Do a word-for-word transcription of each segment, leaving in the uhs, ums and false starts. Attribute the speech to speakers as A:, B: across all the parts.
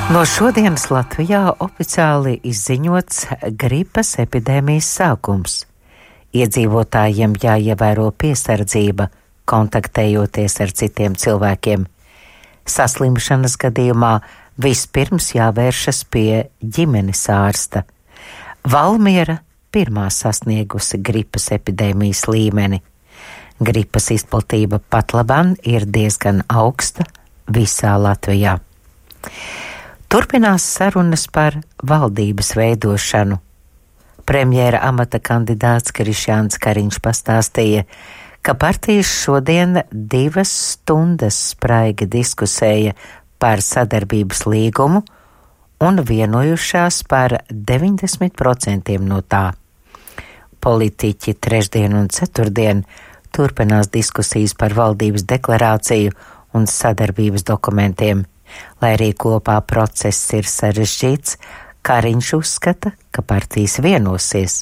A: No šodienas Latvijā oficiāli izziņots gripas epidēmijas sākums. Iedzīvotājiem jāievēro piesardzība, kontaktējoties ar citiem cilvēkiem. Saslimšanas gadījumā vispirms jāvēršas pie ģimenes ārsta. Valmiera pirmā sasniegusi gripas epidēmijas līmeni. Gripas izplatība patlaban ir diezgan augsta visā Latvijā. Turpinās sarunas par valdības veidošanu. Premjera amata kandidāts Krišjāns Kariņš pastāstīja, ka partijas šodien divas stundas spraigi diskusēja par sadarbības līgumu un vienojušās par deviņdesmit procentiem no tā. Politiķi trešdien un ceturtdien turpinās diskusijas par valdības deklarāciju un sadarbības dokumentiem. Lai arī kopā process ir sarežģīts, Kariņš uzskata, ka partijas vienosies.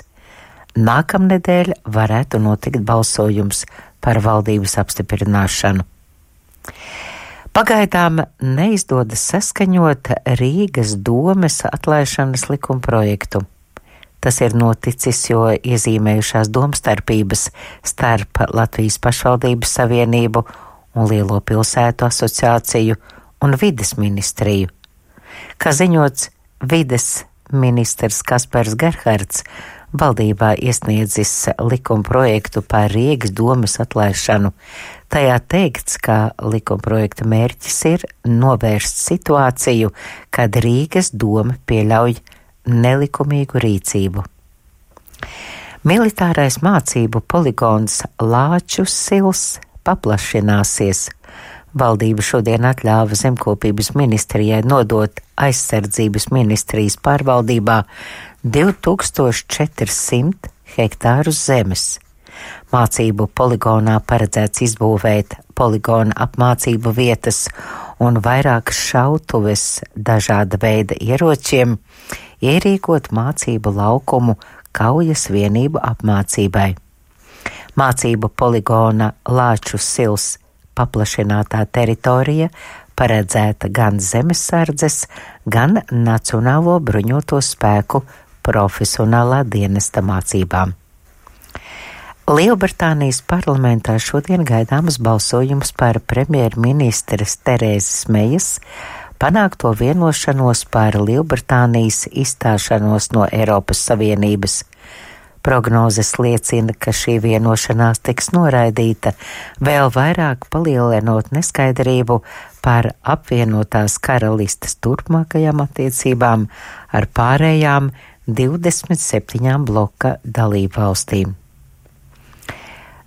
A: Nākamnedēļ varētu notikt balsojums par valdības apstiprināšanu. Pagaidām neizdodas saskaņot Rīgas domes atlaišanas likumprojektu. Tas ir noticis, jo iezīmējušās domstarpības starp Latvijas pašvaldības savienību un Lielo pilsētu asociāciju un vides ministriju. Kā ziņots, vides ministrs Kaspars Gerhards valdībā iesniedzis likumprojektu par Rīgas domes atlaišanu. Tajā teikts, ka likumprojekta mērķis ir novērst situāciju, kad Rīgas doma pieļauj nelikumīgu rīcību. Militārais mācību poligons Lāču sils paplašināsies. Valdība šodien atļāva Zemkopības ministrijai nodot aizsardzības ministrijas pārvaldībā divi tūkstoši četrsimt hektārus zemes. Mācību poligonā paredzēts izbūvēt poligona apmācību vietas un vairākas šautuves dažāda veida ieročiem, ierīkot mācību laukumu kaujas vienību apmācībai. Mācību poligona Lāču sils paplašinātā teritorija paredzēta gan zemesardzes, gan Nacionālo bruņoto spēku profesionālā dienesta mācībām. Lielbritānijas parlamentā šodien gaidāms balsojums par premjerministres Terēzes Mejas panākto vienošanos par Lielbritānijas izstāšanos no Eiropas Savienības. Prognozes liecina, ka šī vienošanās tiks noraidīta, vēl vairāk palielinot neskaidrību par apvienotās karalistes turpmākajām attiecībām ar pārējām divdesmit septiņām bloka dalībvalstīm.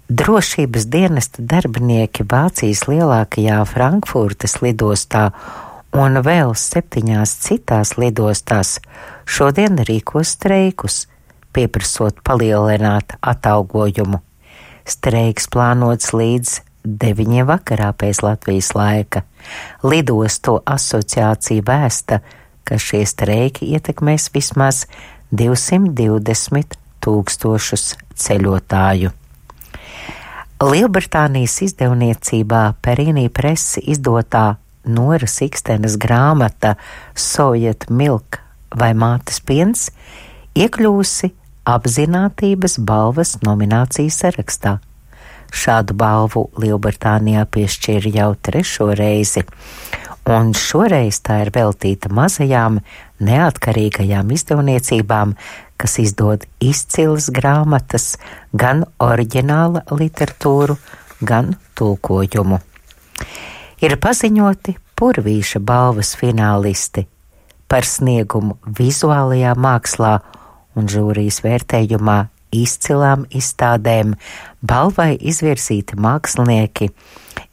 A: Drošības dienesta darbinieki Vācijas lielākajā Frankfurtes lidostā un vēl septiņās citās lidostās šodien rīkos streikus, pieprasot palielināt atalgojumu. Streiks plānots līdz deviņiem vakarā pēc Latvijas laika. Lidostu asociācija vēsta, ka šie streiki ietekmēs vismaz divsimt divdesmit tūkstošus ceļotāju. Lielbritānijas izdevniecībā Perīnī Presi izdotā Noras Ikstenes grāmata Soviet Milk vai Mātes piens iekļūsi apzinātības balvas nominācijas sarakstā. Šādu balvu Lielbritānijā piešķīra jau trešo reizi, un šoreiz tā ir veltīta mazajām, neatkarīgajām izdevniecībām, kas izdod izcilas grāmatas, gan oriģināla literatūru, gan tulkojumu. Ir paziņoti Purvīša balvas finālisti par sniegumu vizuālajā mākslā un žūrijas vērtējumā izcilām izstādēm balvai izvirzīti mākslinieki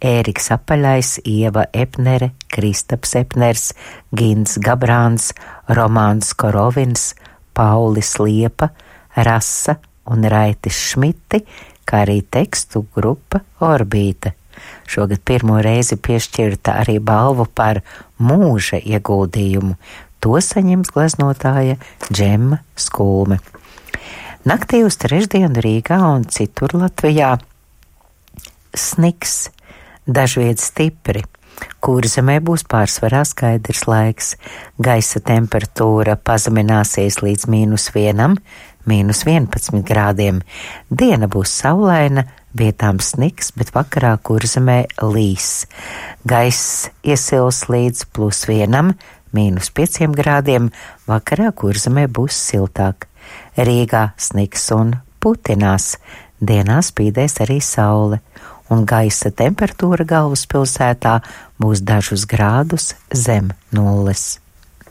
A: Ēriks Apaļais, Ieva Epnere, Kristaps Epners, Gins Gabrāns, Romāns Korovins, Paulis Liepa, Rasa un Raitis Šmiti, kā arī tekstu grupa Orbīta. Šogad pirmo reizi piešķirta arī balvu par mūža ieguldījumu. To saņems gleznotāja Džemma Skulme. Naktī uz trešdienu Rīgā un citur Latvijā sniks, dažviet stipri. Kurzemē būs pārsvarā skaidrs laiks. Gaisa temperatūra pazemināsies līdz mīnus vienam, mīnus vienpadsmit grādiem. Diena būs saulaina, vietām sniks, bet vakarā Kurzemē līs. Gaiss iesils līdz plus vienam, mīnus pieciem grādiem, vakarā Kurzemē būs siltāk. Rīgā sniks un putinās, dienā spīdēs arī saule, un gaisa temperatūra galvaspilsētā būs dažus grādus zem nulles.